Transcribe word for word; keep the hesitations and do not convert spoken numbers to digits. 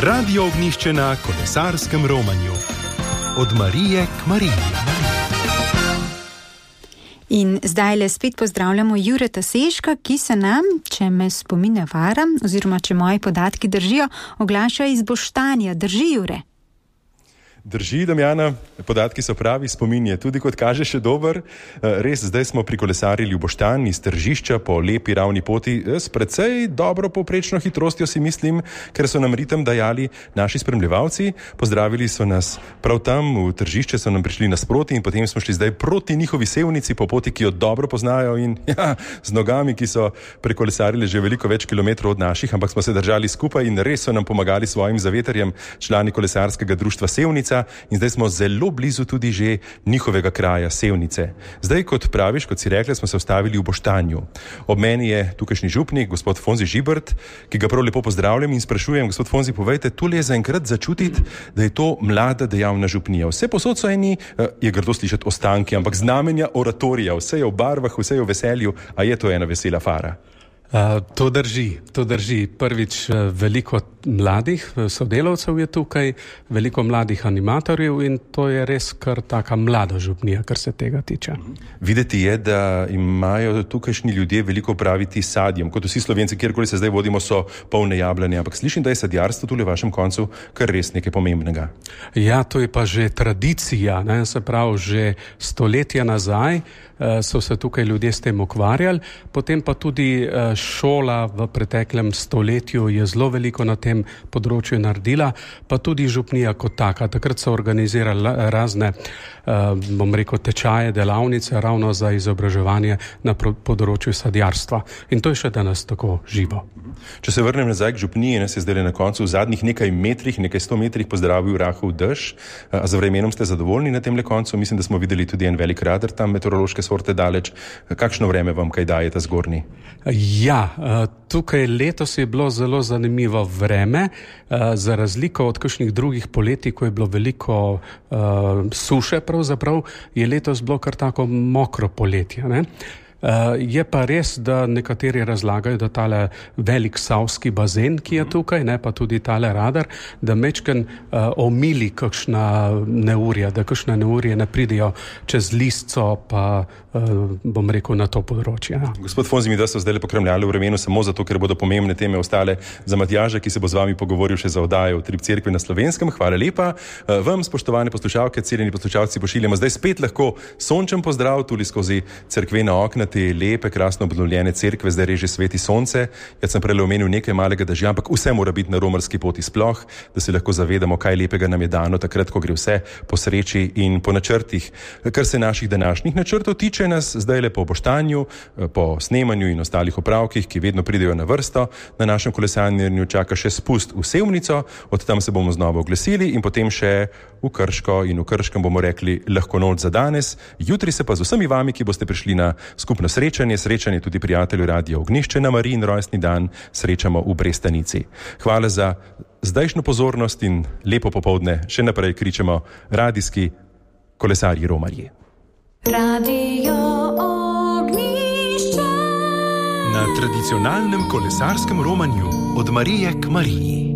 Radio Ognjišče na kolesarskem romanju. Od Marije k Mariji. In zdaj le spet pozdravljamo Jureta Seška, ki se nam, če me spomine vara, oziroma če moji podatki držijo, oglaša iz Boštanja. Drži, Jure? Drži, Damjana, podatki so pravi, spomin je tudi, kot kaže, še dober. Res, zdaj smo prikolesarili v Boštanj iz Tržišča po lepi ravni poti s precej dobro povprečno hitrostjo, si mislim, ker so nam ritem dajali naši spremljevalci. Pozdravili so nas prav tam v Tržišče, so nam prišli nasproti in potem smo šli zdaj proti njihovi sevnici po poti, ki jo dobro poznajo in ja, z nogami, ki so prekolesarili že veliko več kilometrov od naših, ampak smo se držali skupaj in res so nam pomagali svojim zavetarjem, člani kolesarskega društva Sevnica. In zdaj smo zelo blizu tudi že njihovega kraja, Sevnice. Zdaj, kot praviš, kot si rekla, smo se ustavili v Boštanju. Ob meni je tukajšnji župnik, gospod Fonzi Žibert, ki ga prav lepo pozdravljam in sprašujem, gospod Fonzi, povejte, tule je zaenkrat začutiti, da je to mlada dejavna župnija. Vse posod so eni, je grdo slišati ostanki, ampak znamenja oratorija, vse je v barvah, vse je v veselju, a je to ena vesela fara? Uh, to drži, to drži. Prvič, veliko mladih sodelavcev je tukaj, veliko mladih animatorjev in to je res kar taka mlada župnija, kar se tega tiče. Videti je, da imajo tukajšnji ljudje veliko praviti s sadjem. Kot vsi Slovenci, kjerkoli se zdaj vodimo, so polne jablane, ampak slišim, da je sadjarstvo tule v vašem koncu kar res nekaj pomembnega. Ja, to je pa že tradicija, ne? Se pravi, že stoletja nazaj uh, so se tukaj ljudje s tem ukvarjali, potem pa tudi uh, šola v preteklem stoletju je zelo veliko na tem področju naredila, pa tudi župnija kot taka. Takrat so organizirali razne, bom rekel, tečaje, delavnice ravno za izobraževanje na področju sadjarstva. In to je še danes tako živo. Če se vrnem nazaj k župniji, nas je zdaj na koncu v zadnjih nekaj metrih, nekaj sto metrih pozdravil rahel dež. A za vremenom ste zadovoljni na tem le koncu? Mislim, da smo videli tudi en velik radar tam meteorološke sorte daleč. Kakšno vreme vam kaj daje ta zgornji? Ja, tukaj letos je bilo zelo zanimivo vreme, za razliko od kakšnih drugih poletij, ko je bilo veliko uh, suše pravzaprav, je letos bilo kar tako mokro poletje, ne? Uh, je pa res, da nekateri razlagajo, da tale velik savski bazen, ki je tukaj, ne, pa tudi tale radar, da mečken uh, omili kakšna neurja, da kakšna neurje ne pridejo čez Listco, pa uh, bom rekel na to področje. Ja. Gospod Fonzi, mi da so zdaj le pokremljali v vremenu samo zato, ker bodo pomembne teme ostale za Matjaža, ki se bo z vami pogovoril še za oddajo v Trip cerkvi na Slovenskem. Hvala lepa. Uh, vam, spoštovane poslušalke, cenjeni poslušalci, pošiljamo zdaj spet lahko sončen pozdrav tudi skozi cerkvena okna te lepe, krasno obnovljene cerkve, zdaj reže sveti sonce. Jaz sem prej omenil nekaj malega dežja, ampak vse mora biti na romarski poti sploh, da se lahko zavedamo, kaj lepega nam je dano takrat, ko gre vse po sreči in po načrtih. Kar se naših današnjih načrtov tiče, nas zdaj le po Boštanju, po snemanju in ostalih opravkih, ki vedno pridejo na vrsto, na našem kolesarjenju čaka še spust v Sevnico, od tam se bomo znova oglasili in potem še v Krško in v Krškem bomo rekli lahko noč za danes. Jutri se pa z vsemi vami, ki boste prišli na skupno srečanje, srečanje tudi prijatelju Radia Ognjišče na Marijin rojstni dan, srečamo v Brestanici. Hvala za zdajšnjo pozornost in lepo popoldne. Še naprej kričemo radijski kolesarji romarji. Radio Ognjišče. Na tradicionalnem kolesarskem romanju od Marije k Mariji.